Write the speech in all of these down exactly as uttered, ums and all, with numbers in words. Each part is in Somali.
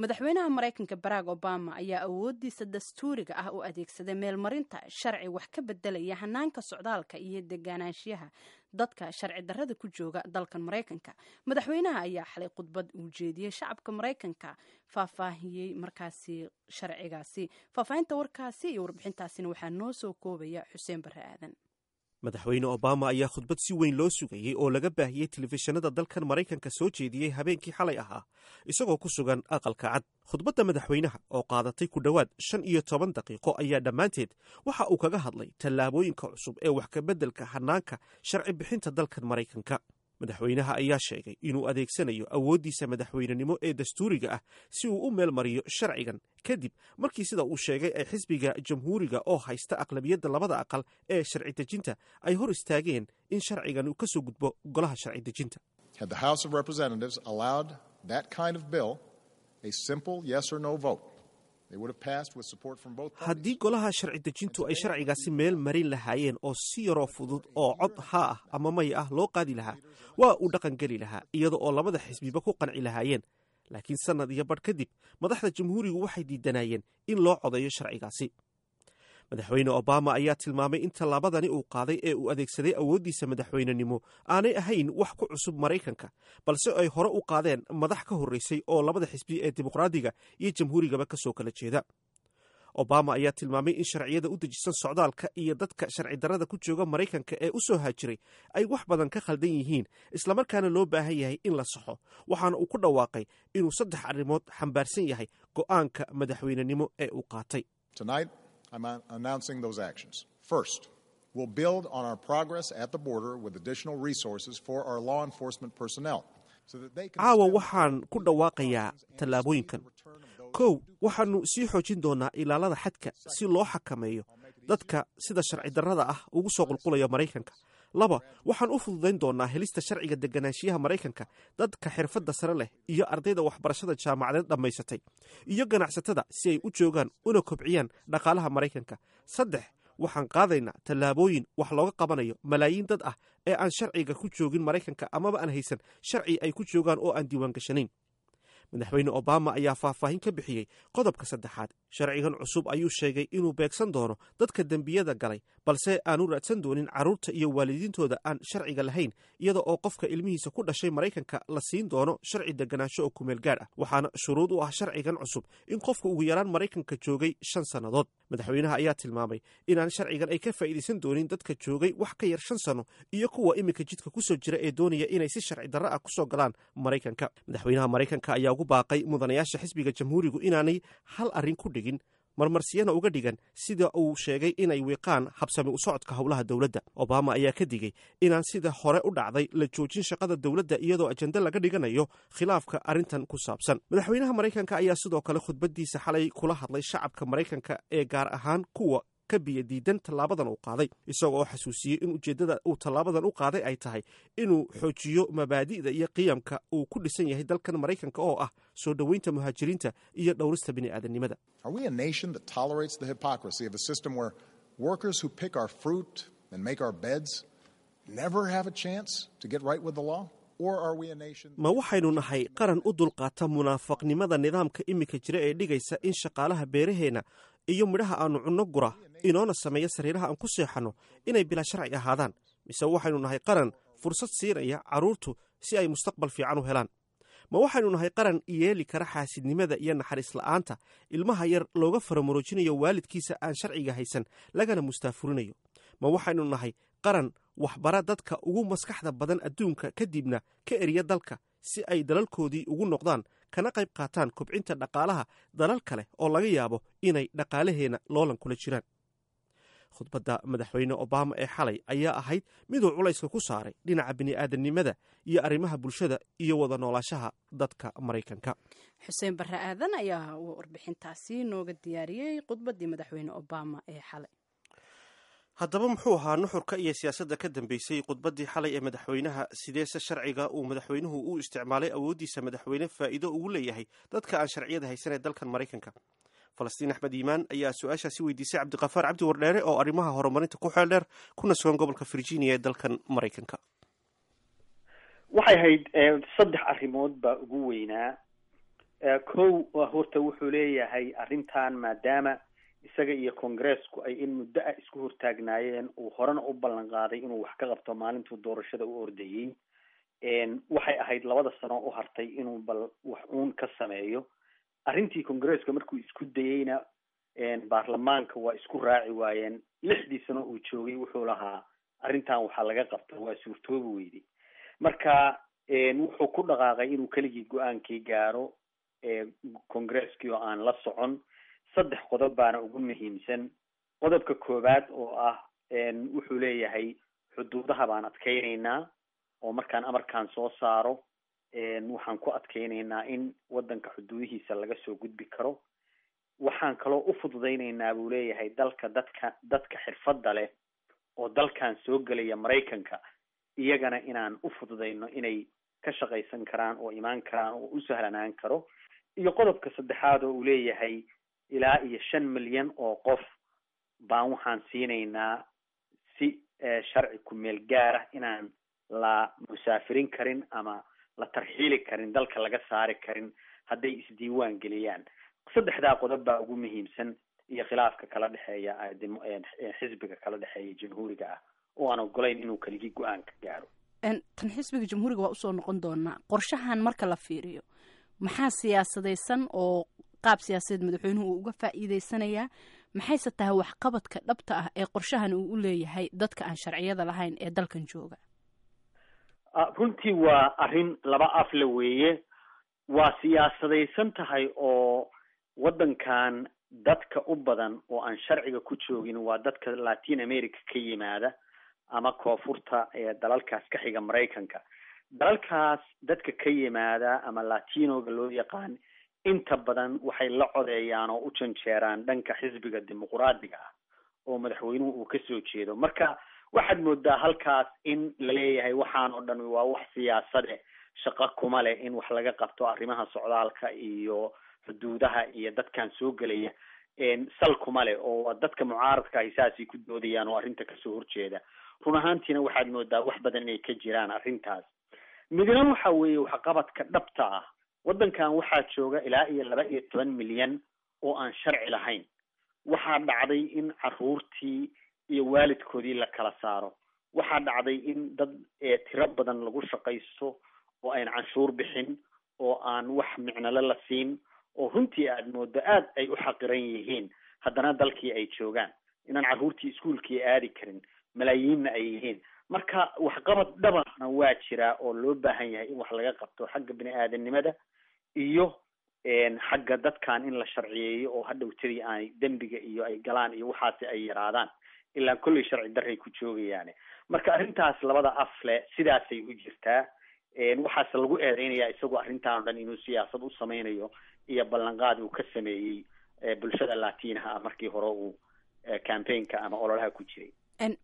Madaxweynaha Maraykanka Barack Obama ayaa awoodiisa dastuuriga ah u adeegsaday meelmarinta sharci wax ka bedelaya hanaanka socdaalka iyo deganaanshiyaha dadka sharci darrada ku jooga dalkan Maraykanka. Madaxweynaha ayaa xalay khudbad uu jeediyey shacabka Maraykanka faahfaahiyey markaasi sharcigaasi. Faahfaahinta warkaasi iyo warbixintaasina waxaa noo soo koobaya Xuseen Barre Aadan. Madaxweyne Obama ayaa khudbad si weyn loo sugayey oo laga baahiyey telefishinada dalkan Maraykanka soo jeediyey habeenkii xalay ahaa, isagoo ku sugan Aqalka Cad. Khudbadda madaxweynaha oo qaadatay ku dhowaad shan iyo toban daqiiqo ayaa dhammaanteed waxa uu kaga hadlay tallaabooyinka cusub ee wax kabeddelka hanaanka sharci bixinta dalkan Maraykanka. Madaxweynaha ayaa sheegay inuu adeegsanayo awooddiisa madaxweynenimo ee dastuuriga ah si uu u meel mariyo sharcigan, kadib markii, sida uu sheegay, ay xisbiga Jamhuuriga oo haysta aqlabiyadda labada aqal ee sharci dejinta ay hor istaageen in sharcigan uu ka soo gudbo golaha sharci dejinta. Had the House of Representatives allowed that kind of bill a simple yes or no vote, they would have passed with support from both parties. Haddii golaha sharci dejintu ay sharcigaasi meel marin lahaayeen oo si yaroo fudud oo cod haa ah ama may ah loo qaadi lahaa, waa uu dhaqan geli lahaa iyada oo labada xisbiba ku qanci lahaayeen. Laakiin sannad iyo badh kadib, madaxda Jamhuurigu waxay diidanayeen in loo codeeyo sharcigaasi. Madaxweyne Obama ayaa tilmaamay in tallaabadani uu qaaday ee uu adeegsaday awooddiisa madaxweynenimo aanay ahayn wax ku cusub Maraykanka, balse ay hore u qaadeen madax ka horreysay oo labada xisbi ee Dimuqraadiga iyo Jamhuurigaba ka soo kala jeeda. Obama ayaa tilmaamay in sharciyada u dejisan socdaalka iyo dadka sharci darrada ku jooga Maraykanka ee u soo haajiray ay wax badan ka khaldan yihiin, islamarkaana loo baahan yahay in la saxo. Waxaana uu ku dhawaaqay inuu saddex arrimood xambaarsan yahay go'aanka madaxweynenimo ee uu qaatay. Tonight, I'm announcing those actions. First, we'll build on our progress at the border with additional resources for our law enforcement personnel so that they can Caawa waxaan ku dhawaaqayaa tallaabooyinkan. Kow, waxaannu sii xoojin doonaa ilaalada xadka si loo xakameeyo dadka sida sharci darrada ah ugu soo qulqulaya Maraykanka. Laba, waxaan u fududayn doonaa helista sharciga deganaanshiyaha Maraykanka dadka xirfadda sare leh iyo ardayda waxbarashada jaamacadeed dhammaysatay iyo ganacsatada, si ay u joogaan una kobciyaan dhaqaalaha Maraykanka. Saddex, waxaan qaadaynaa tallaabooyin wax looga qabanayo malaayiin dad ah ee aan sharciga ku joogin Maraykanka amaba aan haysan sharci ay ku joogaan oo aan diiwaan gashanayn. Madaxweyne Obama ayaa faahfaahin ka bixiyey qodobka saddexaad. Sharcigan cusub ayuu sheegay inuu beegsan doono dadka dembiyada galay, balse aanu raadsan doonin carruurta iyo waalidiintooda aan sharciga lahayn, iyada oo qofka ilmihiisa ku dhashay Maraykanka la siin doono sharci deganaansho oo kumeel gaadh ah. Waxaana shuruud u ah sharcigan cusub in qofka ugu yaraan Maraykanka joogay shan sannadood. Madaxweynaha ayaa tilmaamay inaan sharcigan ay ka faa'iidaysan doonin dadka joogay wax ka yar shan sano iyo kuwa iminka jidka kusoo jira ee doonaya inay si sharci darro ah kusoo galaan Maraykanka. Madaxweynaha Maraykanka ayaa ugu baaqay mudanayaasha xisbiga Jamhuurigu inaanay hal arrin ku dhigin, marmarsiyana uga dhigan, sida uu sheegay, inay wiiqaan habsami u socodka howlaha dowladda. Obama ayaa ka digay inaan sida hore u dhacday la joojin shaqada dowladda iyadoo ajende laga dhiganayo khilaafka arrintan ku saabsan. Madaxweynaha Maraykanka ayaa sidoo kale khudbaddiisa xalay kula hadlay shacabka Maraykanka ee gaar ahaan kuwa ka biyo diidan tallaabadan uu qaaday, isagoo oo xasuusiyey in ujeeddada uu tallaabadan u qaaday ay tahay inuu xoojiyo mabaadi'da iyo qiyamka uu ku dhisan yahay dalkan Maraykanka oo ah soo dhoweynta muhaajiriinta iyo dhowrista bini'aadanimada. Are we a nation that tolerates the hypocrisy of a system where workers who pick our fruit and make our beds never have a chance to get right with the law? Or are we a nation Ma waxaynu nahay qaran u dulqaata munaafaqnimada nidaamka iminka jira ee dhigaysa in shaqaalaha beeraheenna iyo midhaha aannu cunno gura inoona sameeya sariiraha aan ku seexanno inay bilaa sharci ahaadaan, mise waxaynu nahay qaran fursad siinaya carruurtu si ay mustaqbal fiican u helaan? Ma waxaynu nahay qaran yeeli kara xaasidnimada iyo naxariis la'aanta ilmaha yar looga faramuroojinayo waalidkiisa aan sharciga haysan lagana mustaafurinayo? Ma waxaynu nahay qaran waxbara dadka ugu maskaxda badan adduunka, kadibna ka eriya dalka si ay dalalkoodii ugu noqdaan kana qayb qaataan kobcinta dhaqaalaha dalal kale oo laga yaabo inay dhaqaalaheenna loolan kula jiraan? Khudbadda madaxweyne Obama ee xalay ayaa ahayd miduu culayska ku saaray dhinaca bini'aadanimada iyo arrimaha bulshada iyo wada noolaashaha dadka Maraykanka. Xuseen Barre Aadan ayaa warbixintaasi nooga diyaariyey khudbaddii madaxweyne Obama ee xalay. Haddaba, muxuu ahaa nuxurka iyo siyaasadda ka dambeysay khudbaddii xalay ee madaxweynaha? Sideese sharciga uu madaxweynuhu u isticmaalay awooddiisa madaxweyne faa'iido ugu leeyahay dadka aan sharciyada haysan ee dalkan Maraykanka? Falastiin Axmed Iimaan ayaa su-aashaasi weydiisay Cabdiqafaar Cabdi Wardheere oo arrimaha horumarinta ku xeel dheer, kuna sugan gobolka Virginia ee dalkan Maraykanka. Waxay ahayd saddex arrimood baa ugu weynaa. Kow, horta wuxuu leeyahay arrintan maadaama isaga iyo Congresku ay in muddo ah isku hortaagnaayeen, uu horena u ballan qaaday inuu wax ka qabto maalintuu doorashada u ordayey, waxay ahayd labada sano u hartay inuu bal wax uun ka sameeyo arrintii. Congresska markuu isku dayeyna baarlamaanka waa isku raaci waayeen. Lixdii sano uu joogay wuxuu lahaa arrintan waxaa laga qabta, waa suurtoobi weyday. Marka wuxuu ku dhaqaaqay inuu keligii go-aankii gaaro, Congresskii oo aan la socon. Saddex qodob baana ugu muhiimsan. Qodobka koowaad oo ah, wuxuu leeyahay xuduudaha baan adkeyneynaa, oo markaan amarkaan soo saaro waxaan ku adkeyneynaa in waddanka xuduudihiisa laga soo gudbi karo. Waxaan kaloo u fududeyneynaa, buu leeyahay, dalka dadka dadka xirfadda leh oo dalkan soo gelaya Maraykanka, iyagana inaan u fududeyno inay ka shaqaysan karaan oo imaan karaan oo u sahlanaan karo. Iyo qodobka saddexaad oo uu leeyahay, ilaa iyo shan milyan oo qof baan waxaan siinaynaa si sharci ku-meel gaara inaan la musaafirin karin ama la tarxiili karin, dalka laga saari karin hadday isdiiwaan geliyaan. Saddexdaa qodob baa ugu muhiimsan, iyo khilaafka kala dhexeeya xisbiga kala dhexeeya Jamhuuriga ah oo aan ogolayn inuu keligii go-aanka gaaro. Tan xisbiga Jamhuuriga waa usoo noqon doonaa. Qorshahan marka la fiiriyo, maxaa siyaasadaysan oo qaab siyaasadeed madaxweynuhu uu uga faa'iideysanayaa? Maxayse tahay waxqabadka dhabta ah ee qorshahan uu u leeyahay dadka aan sharciyada lahayn ee dalkan jooga? Runtii waa arrin laba afle weeye. Waa siyaasadaysan tahay, oo waddankan dadka u badan oo aan sharciga ku joogin waa dadka Latin America ka yimaada ama koonfurta ee dalalkaas ka xiga Maraykanka. Dalalkaas dadka ka yimaada ama Latinoga loo yaqaan inta badan waxay la codeeyaan oo u janjeeraan dhanka xisbiga Dimuquraadiga ah oo madaxweynuhu uu kasoo jeedo. Marka waxaad moodaa halkaas in la leeyahay waxaan oo dhan waa wax siyaasade, shaqo kuma leh in wax laga qabto arrimaha socdaalka iyo xuduudaha iyo dadkan soo gelaya, sal kuma leh, oo dadka mucaaradka ahi saasay ku doodayaan oo arrinta kasoo horjeeda. Run ahaantiina waxaad moodaa wax badan inay ka jiraan arrintaas. Midna waxa weeye waxqabadka dhabta ah. Waddankan waxaa jooga ilaa iyo laba iyo toban milyan oo aan sharci lahayn. Waxaa dhacday in caruurtii iyo waalidkoodii la kala saaro. Waxaa dhacday in dad tiro badan lagu shaqaysto oo aan canshuur bixin oo aan wax micnale la siin, oo runtii aad moodo aad ay u xaqiran yihiin, haddana dalkii ay joogaan, inaan carruurtii iskuulkii aadi karin, malaayiinna ay yihiin. Marka waxqabad dhabana waa jiraa oo loo baahan yahay in wax laga qabto xagga bini aadanimada iyo xagga dadkan in la sharciyeeyo, oo hadhowtadii aanay dembiga iyo ay galaan iyo waxaasi ay yaraadaan, ilaan kolley sharci darray ku joogayaane. Marka arrintaas labada afle sidaasay u jirtaa. Waxaase lagu eedeynayaa isagoo arrintan o dhan inuu siyaasad u sameynayo iyo ballanqaad uu ka sameeyey bulshada Latinaha ah markii hore uu campaignka ama ololaha ku jiray.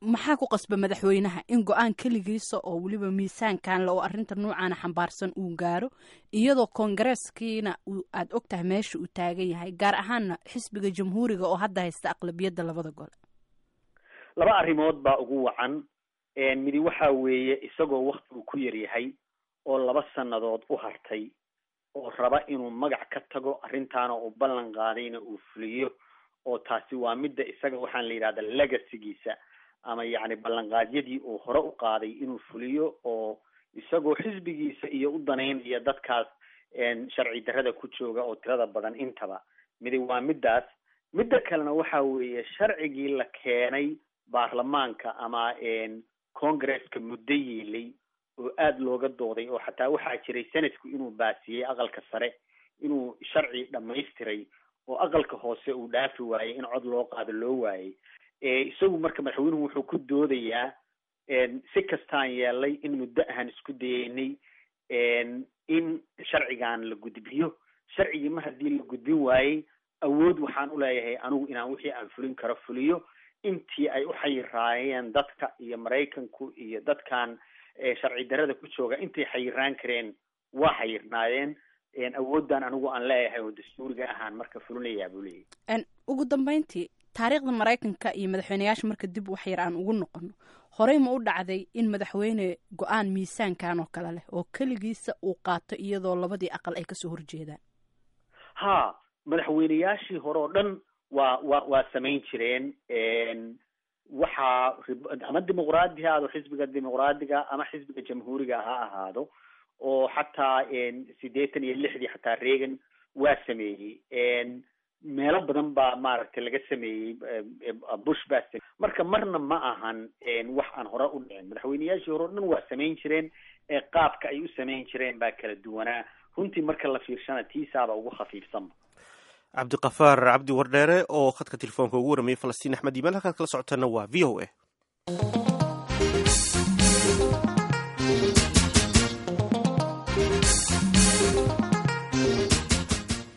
Maxaa ku qasba madaxweynaha in go-aan keligiisa oo weliba miisaankan le oo arrinta noocaana xambaarsan uu gaaro, iyadoo koongareeskiina aada og tahay meesha uu taagan yahay, gaar ahaanna xisbiga Jamhuuriga oo hadda haysta aqlabiyadda labada gole? Laba arrimood baa ugu wacan. Midi waxa weeye isagoo waktigu ku yaryahay oo laba sannadood u hartay, oo raba inuu magac ka tago arrintaana uu ballan qaadayna uu fuliyo, oo taasi waa midda isaga waxaan la yidhahda legacygiisa ama yacni ballanqaadyadii uu hore u qaaday inuu fuliyo, oo isagoo xisbigiisa iyo u danaynaya dadkaas sharci darrada ku jooga oo tirada badan intaba. Midi waa middaas. Midda kalena waxa weeye sharcigii la keenay baarlamaanka ama Congresska muddo yiilay oo aada looga dooday, oo xataa waxaa jiray Senatku inuu baasiyey, aqalka sare inuu sharci dhamaystiray, oo aqalka hoose uu dhaafi waayey, in cod loo qaado loo waayey. Isagu marka madaxweynuhu wuxuu ku doodayaa, si kastaan yeelay in muddo ahaan isku dayeynay in sharcigan la gudbiyo, sharcigii mar haddii la gudbin waayey, awood waxaan u leeyahay anigu inaan wixii aan fulin karo fuliyo. Intii ay u xayiraayeen dadka iyo Maraykanku iyo dadkan sharci darrada ku jooga intay xayiraan kareen waa xayirnaayeen, awooddan anigu aan leeyahay oo dastuuriga ahaan marka fulinayaa, buu leeyahay. Ugu dambeyntii, taariikhda Maraykanka iyo madaxweyneyaasha marka dib wax yar aan ugu noqono, horey ma u dhacday in madaxweyne go-aan miisaankan oo kale leh oo keligiisa uu qaato iyadoo labadii aqal ay kasoo horjeedaan? Ha, madaxweyneyaashii hore oo dhan waa waa waa samayn jireen. Waxaa ama dimuqraadi ha ahaado, xisbiga dimuqraadiga ama xisbiga jamhuuriga ha ahaado, oo xataa siddeetan iyo lixdii xataa Reagan waa sameeyey. Meelo badan baa maaragtay laga sameeyey, Bush baa sameeyey. Marka marna ma ahan wax aan hore u dhicin. Madaxweyneyaashii hore o dhan waa samayn jireen, qaabka ay u samayn jireen baa kala duwanaa. Runtii marka la fiirshana tiisaaba ugu khafiifsanba. Cabdiqafaar Cabdi Wardheere oo khadka telefoonka ugu warramayay Falastiin Axmed Iimaan. Halkaad kala socotaana waa V O A.